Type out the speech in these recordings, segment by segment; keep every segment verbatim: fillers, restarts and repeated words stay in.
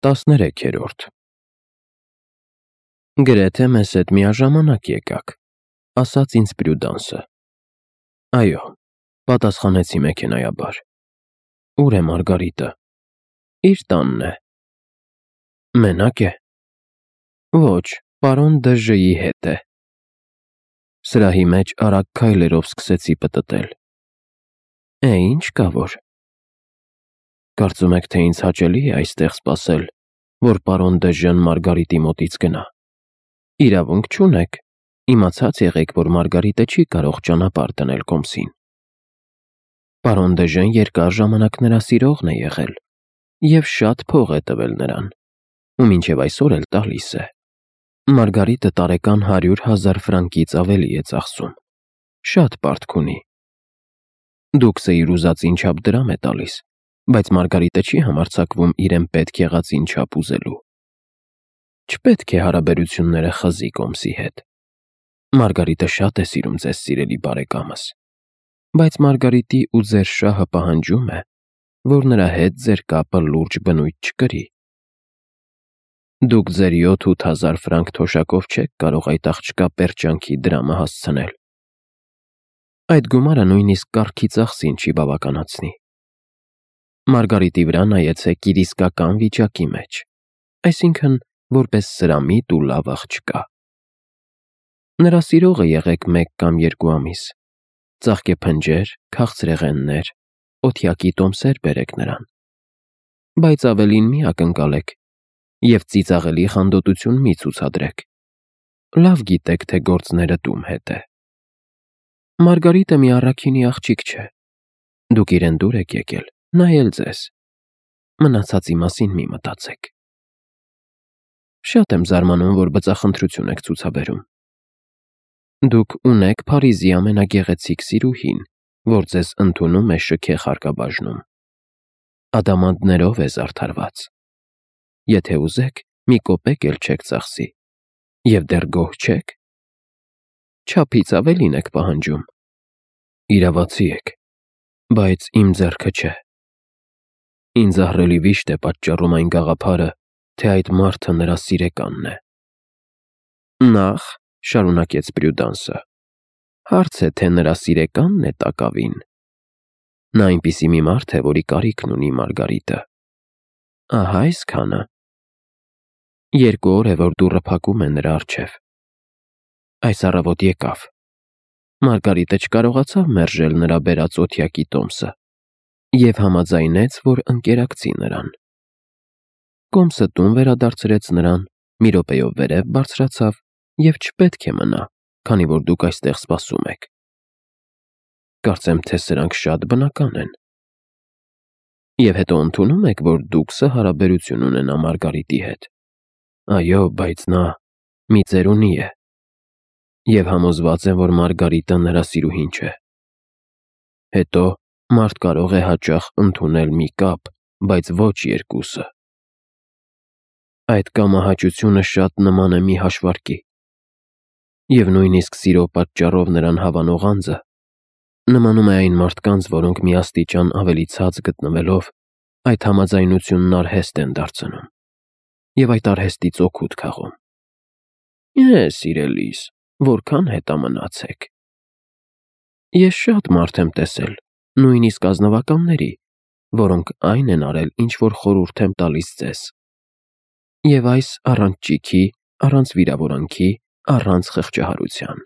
տասներեքերորդ Գրեթե մեզ հետ միաժամանակ եկաք, ասաց ինձ Պրյուդանսը։ Այո, պատասխանեցի մեքենայաբար։ Ուր է Մարգարիտը։ Իր տանն է։ Մենակ է։ Ոչ, պարոն Դժժի հետ է։ Սրահի մեջ արագ քայլերով սկսեցի պտտել։ Է, ինչ կա որ։ Կարծում եք, թե ինձ հաճելի է այստեղ սպասել, որ պարոն Դժժն Մարգարիտի մոտից գնա։ Իրավունք չունեք, իմացած եղեք, որ Մարգարիտը չի կարող ճանապարհ դնել Կոմսին։ Պարոն Դժժն երկար ժամանակ նրա սիրողն է եղել և շատ փող է տվել նրան, ու մինչև այսօր էլ տալիս է։ Մարգարիտը տարեկան հարյուր հազար ֆրանկից ավելի է ծախսում։ Շատ պարտք ունի։ Դուքսը իր ուզածին չափ դրամ է տալիս, բայց Մարգարիտը չի համարձակվում իրեն պետք եղածին չափ ուզելու։ Չպետք է հարաբերությունները խզի Կոմսի հետ։ Մարգարիտը շատ է սիրում ձեզ, սիրելի բարեկամս, բայց Մարգարիտի ու ձեր շահը պահանջում է, որ նրա հետ ձեր կապը լուրջ բնույթ չկրի։ Դուք ձեր յոթ-ութ հազար ֆրանկ թոշակով չեք կարող այդ աղջկա պերճանքի դրամը հասցնել։ Այդ գումարը նույնիսկ կառքի ծախսին չի բավականացնի։ Մարգարիտի վրա նայեցեք իր իսկական վիճակի մեջ, այսինքն որպես սրամիտ ու լավ աղջկա։ Նրա սիրողը եղեք մեկ կամ երկու ամիս, ծաղկեփնջեր, քաղցրեղեններ, օթյակի տոմսեր բերեք նրան, բայց ավելին մի ակնկալեք և ծիծաղելի խանդոտություն մի ցուցադրեք։ Լավ գիտեք, թե գործները տում հետ է։ Մարգարիտը մի առաքինի աղջիկ չէ։ Դուք իրեն դուր եք եկել, նա էլ ձեզ։ Մնացածի մասին մի մտածեք։ Շատ եմ զարմանում, որ բծախնդրություն եք ցուցաբերում։ Դուք ունեք Փարիզի ամենագեղեցիկ սիրուհին, որ ձեզ ընդունում է շքեղ հարկաբաժնում։ Ադամանդներով է զարդարված։ Եթե ուզեք, մի կոպեկ էլ չեք ծախսի, և դեռ գոհ չեք։ Չափից ավելին եք պահանջում։ Իրավացի եք, բայց իմ ձեռքը չէ։ Ինձ ահռելի վիշտ է պատճառում այն գաղափարը, թե այդ մարդը նրա սիրեկանն է։ Նախ, շարունակեց Պրյուդանսը, հարց է, թե նրա սիրեկանն է տակավին։ Նա այնպիսի մի մարդ է, որի կարիքն ունի Մարգարիտը։ Ահա այսքանը։ Երկու օր է, որ դուռը փակում է նրա առջև։ Այս առավոտ եկավ։ Մարգարիտը չկարողացավ մերժել նրա բերած օթյակի տոմսը և համաձայնեց, որ ընկերակցի նրան։ Կոմսը տուն վերադարձրեց նրան, մի րոպեով վերև բարձրացավ և չպետք է մնա, քանի որ դուք այստեղ սպասում եք։ Կարծեմ, թե սրանք շատ բնական են։ Եվ հետո ընդունում եք, որ դուքսը հարաբերություն ունենա Մարգարիտի հետ։ Այո, բայց նա մի ծերունի է։ Եվ համոզված եմ, որ Մարգարիտը նրա սիրուհին չէ։ Հետո մարդ կարող է հաճախ ընդունել մի կապ, բայց ոչ երկուսը։ Այդ կամահաճությունը շատ նման է մի հաշվարկի։ Եվ նույնիսկ սիրո պատճառով նրան հավանող անձը նմանում է այն մարդկանց, որոնք մի աստիճան ավելի ցած գտնվելով, այդ համաձայնությունն արհեստ են դարձնում և այդ արհեստից օգուտ քաղում։ Է, սիրելիս, որքան հետամնաց եք։ Ես շատ մարդ եմ տեսել, նույնիսկ ազնվականների, որոնք այն են արել, ինչ որ խորհուրդ եմ տալիս ձեզ։ Եվ այս առանց ճիգի, առանց վիրավորանքի, առանց խղճահարության։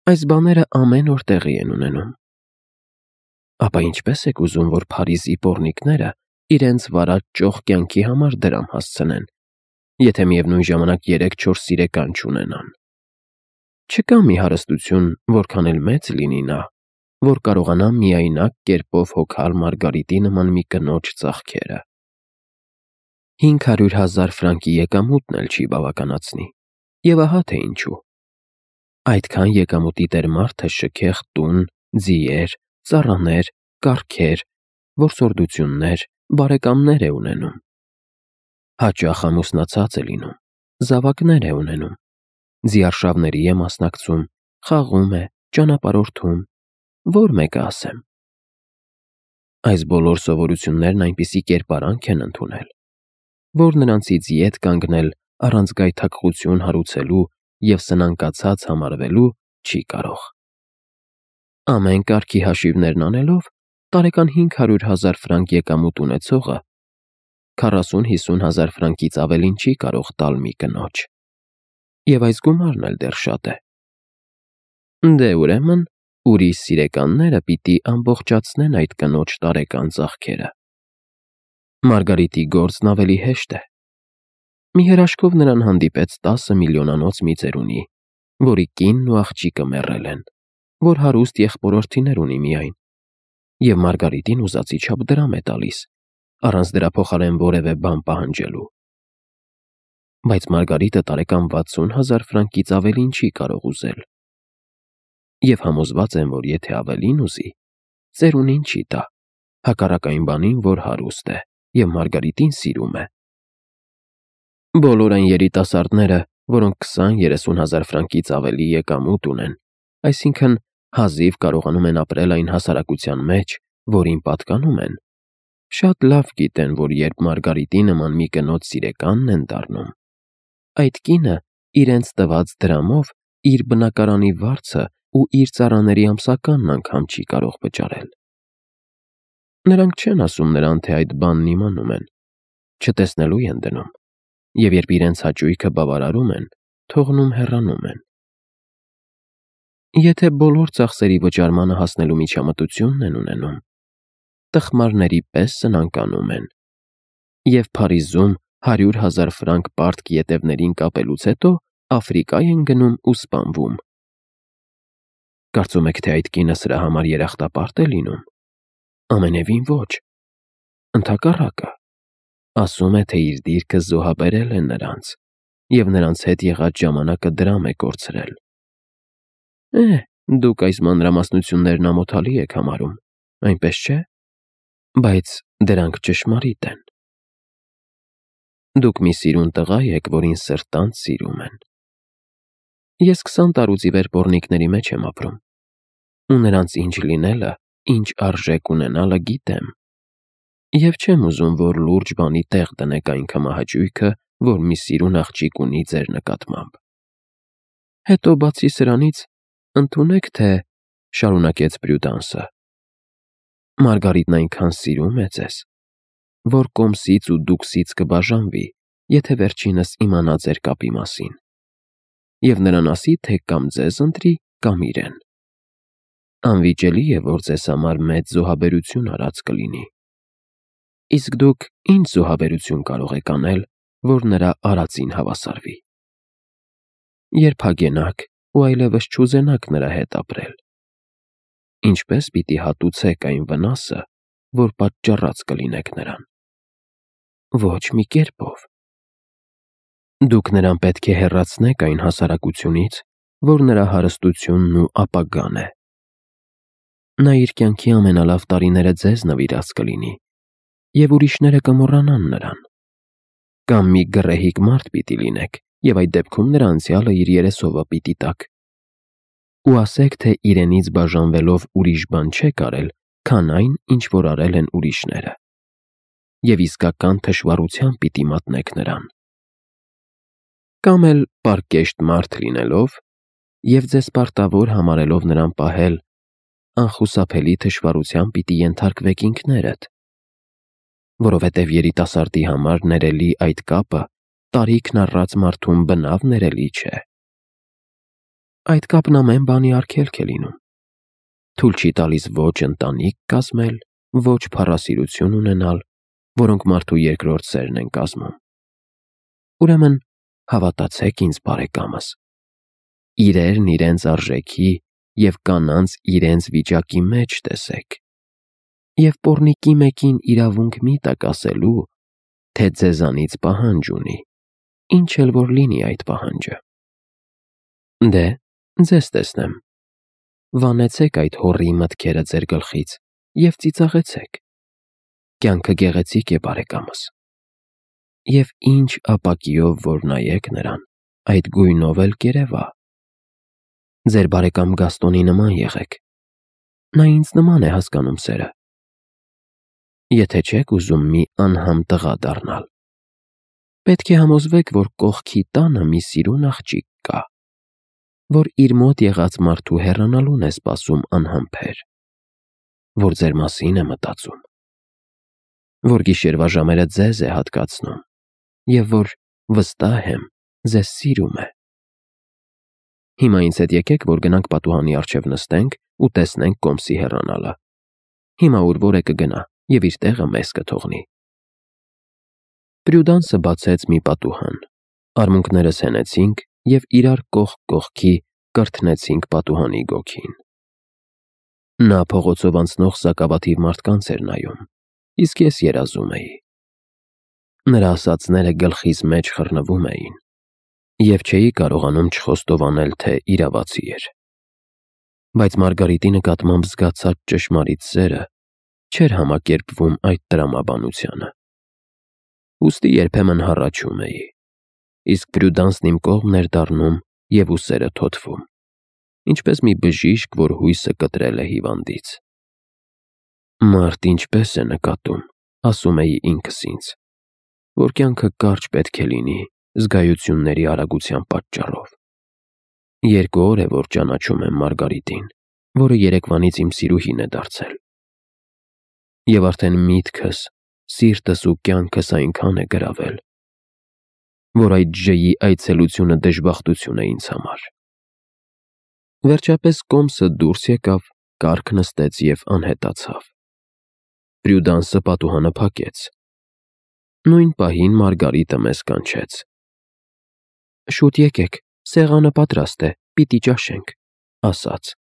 Այս բաները ամեն օր տեղի են ունենում։ Ապա ինչպես եք ուզում, որ Փարիզի պոռնիկները իրենց վարած ճոխ կյանքի համար դրամ հասցնեն, եթե միևնույն ժամանակ երեք-չորս սիրեկան չունենան։ Չկա մի հարստություն, որքան էլ մեծ լինի նա, որ կարողանա միայնակ կերպով հոգալ Մարգարիտի նման մի կնոջ ծաղքերը։ Հինգ հարյուր հազար ֆրանկի եկամուտն էլ չի բավականացնի, և ահա թե ինչու։ Այդքան եկամուտի տեր մարդը շքեղ տուն, ձիեր, ծառաներ, կառքեր, որսորդություններ, բարեկամներ է ունենում։ Հաճախ ամուսնացած է լինում, զավակներ է ունենում, ձիարշավների է մասնակցում, խաղում է, ճանապարհորդում, որ մեկը ասեմ։ Այս բոլոր սովորություններն այնպիսի կերպարանք են ընդունել, որ նրանցից ետ կանգնել առանց գայթակղություն հարուցելու և սնանկացած համարվելու չի կարող։ Ամեն կարգի հաշիվներն անելով, տարեկան հինգ հարյուր հազար ֆրանկ եկամուտ ունեցողը քառասուն-հիսուն հազար ֆրանկից ավելին չի կարող տալ մի կնոջ, և այս գումարն էլ դեռ շատ է։ Դե ուրեմն ուրիշ սիրեկանները պիտի ամբողջացնեն այդ կնոջ տարեկան ծախքերը։ Մարգարիտի գործն ավելի հեշտ է։ Մի հրաշքով նրան հանդիպեց տասը միլիոնանոց մի ծերունի, որի կինն ու աղջիկը մեռել են, որ հարուստ եղբորորդիներ ունի միայն, և Մարգարիտին ուզածի չափ դրամ է տալիս, առանց դրա փոխարեն որևէ բան պահանջելու։ Բայց Մարգարիտը տարեկան վաթսուն հազար ֆրանկից ավելին չի կարող ուզել, և համոզված եմ, որ եթե ավելին ուզի, ծերունին չի տա, հակառակ այն բանին, որ հարուստ է և Մարգարիտին սիրում է։ Բոլոր այն երիտասարդները, որոնք քսան-երեսուն հազար ֆրանկից ավելի եկամուտ ունեն, այսինքն հազիվ կարողանում են ապրել այն հասարակության մեջ, որին պատկանում են, շատ լավ գիտեն, որ երբ Մարգարիտի նման մի կնոջ սիրեկանն են դառնում, այդ կինը իրենց տված դրամով իր բնակարանի վարձը ու իր ծառաների ամսականն անգամ չի կարող վճարել։ Նրանք չեն ասում նրան, թե այդ բանն իմանում են, չտեսնելու են դնում, և երբ իրենց հաճույքը բավարարում են, թողնում հեռանում են։ Եթե բոլոր ծախսերի վճարմանը հասնելու միջամտությունն են ունենում, տխմարների պես սնանկանում են, և Փարիզում հարյուր հազար ֆրանկ պարտք ետևներին կապելուց հետո Աֆրիկա են գնում ու սպանվում։ Կարծում եք, թե այդ կինը սրա համար երախտապարտ է լինում։ Ամենևին ոչ։ Ընդհակառակը, ասում է, թե իր դիրքը զոհաբերել է նրանց, և նրանց հետ եղած ժամանակը դրամ է կորցրել։ Է, դուք այս մանրամասնություններն ամոթալի եք համարում, այնպես չէ՞։ Բայց դրանք ճշմարիտ են։ Դուք մի սիրուն տղա եք, որին սրտանց սիրում են։ Ես քսան տարուց ի վեր պոռնիկների մեջ եմ ապրում, ու նրանց ինչ լինելը, ինչ արժեք ունենալը գիտեմ, և չեմ ուզում, որ լուրջ բանի տեղ դնեք այն քմահաճույքը, որ մի սիրուն աղջիկ ունի ձեր նկատմամբ։ Հետո բացի սրանից, ընդունեք, թե շարունակեց Պրյուդանսը, Մարգարիտն այնքան սիրում է ձեզ, որ կոմսից ու դուքսից կբաժանվի, եթե վերջինս իմանա ձեր կապի մասին, և նրան ասի, թե կամ ձեզ ընտրի, կամ իրեն։ Անվիճելի է, որ ձեզ համար մեծ զոհաբերություն արած կլինի։ Իսկ դուք ինչ զոհաբերություն կարող եք անել, որ նրա արածին հավասարվի։ Երբ հագենաք ու այլևս չուզենաք նրա հետ ապրել, ինչպե՞ս պիտի հատուցեք այն վնասը, որ պատճառած կլինեք նրան։ Ոչ մի կերպով։ Դուք նրան պետք է հեռացնեք այն հասարակությունից, որ նրա հարստությունն ու ապագան է։ Նա իր կյանքի ամենալավ տարիները ձեզ նվիրած կլինի, և ուրիշները կմոռանան նրան։ Կամ մի գռեհիկ մարդ պիտի լինեք, և այդ դեպքում նրա անցյալը իր երեսովը պիտի տաք, ու ասեք, թե իրենից բաժանվելով ուրիշ բան չեք արել, քան այն, ինչ որ արել են ուրիշները, և իսկական թշվառությամբ պիտի մատնեք նրան։ Կամ էլ պարկեշտ մարդ լինելով և ձեզ պարտավոր համարելով նրան պահել, անխուսափելի թշվառության պիտի ենթարկվեք ինքներդ, որովհետև երիտասարդի համար ներելի այդ կապը տարիքն առած մարդուն բնավ ներելի չէ։ Այդ կապն ամեն բանի արգելք է լինում, թույլ չի տալիս ոչ ընտանիք կազմել, ոչ փառասիրություն ունենալ, որոնք մարդու երկրորդ սերն են կազմում։ Ուրեմն հավատացեք ինձ, բարեկամս, իրերն իրենց արժեքի և կանանց իրենց վիճակի մեջ տեսեք, և պոռնիկի մեկին իրավունք մի տաք ասելու, թե ձեզանից պահանջ ունի, ինչ էլ որ լինի այդ պահանջը։ Դե, ձեզ տեսնեմ, վանեցեք այդ հոռի մտքերը ձեր գլխից և ծիծաղեցեք։ Կյանքը գեղեցիկ է, բարեկամս, և ինչ ապակիով որ նայեք նրան, այդ գույնով էլ կերևա։ Ձեր բարեկամ Գաստոնի նման եղեք, նա ինձ նման է հասկանում սերը։ Եթե չեք ուզում մի անհամ տղա դառնալ, Պետք է համոզվեք, որ կողքի տանը մի սիրուն աղջիկ կա, որ իր մոտ եղած մարդու հեռանալուն է սպասում անհամբեր, որ ձեր մասին է մտածում, որ գիշերվա ժամերը ձեզ է հատկացնում և որ, վստահ եմ, ձեզ սիրում է։ Հիմա ինձ հետ եկեք, որ գնանք պատուհանի առջև նստենք ու տեսնենք կոմսի հեռանալը։ Հիմա ուր որ է կգնա և իր տեղը մեզ կթողնի։ Պրյուդանսը բացեց մի պատուհան, արմունկներս հենեցինք և իրար կողք կողքի կրթնեցինք պատուհանի գոգին։ Նա փողոցով անցնող սակավաթիվ մարդկանց էր նայում, իսկ ես երազում էի։ Նրա ասածները գլխիս մեջ խռնվում էին, և չէի կարողանում չխոստովանել, թե իրավացի էր։ Բայց Մարգարիտի նկատմամբ զգացած ճշմարիտ սերը չէր համակերպվում այդ տրամաբանությանը։ Ուստի երբեմն հառաչում էի, իսկ Պրյուդանսն իմ կողմն էր դառնում և ուսերը թոթվում, ինչպես մի բժիշկ, որ հույսը կտրել է հիվանդից։ Մարդ ինչպես է նկատում, ասում էի ինքս ինձ, որ կյանքը կարճ պետք է լինի զգայությունների արագության պատճառով։ Երկու օր է, որ ճանաչում եմ Մարգարիտին, որը երեկվանից իմ սիրուհին է դարձել։ Եվ արդեն միտքս, սիրտս ու կյանքս այնքան է գրավել, որ այդ Ջ-ի այցելությունը դժբախտություն է ինձ համար։ Վերջապես կոմսը դուրս եկավ, կառք նստեց և անհետացավ։ Պրյուդանսը պատուհանը փակեց։ Նույն պահին Մարգարիտը մեզ կանչեց. «Շուտ եկեք, սեղանը պատրաստ է, պիտի ճաշենք», ասաց։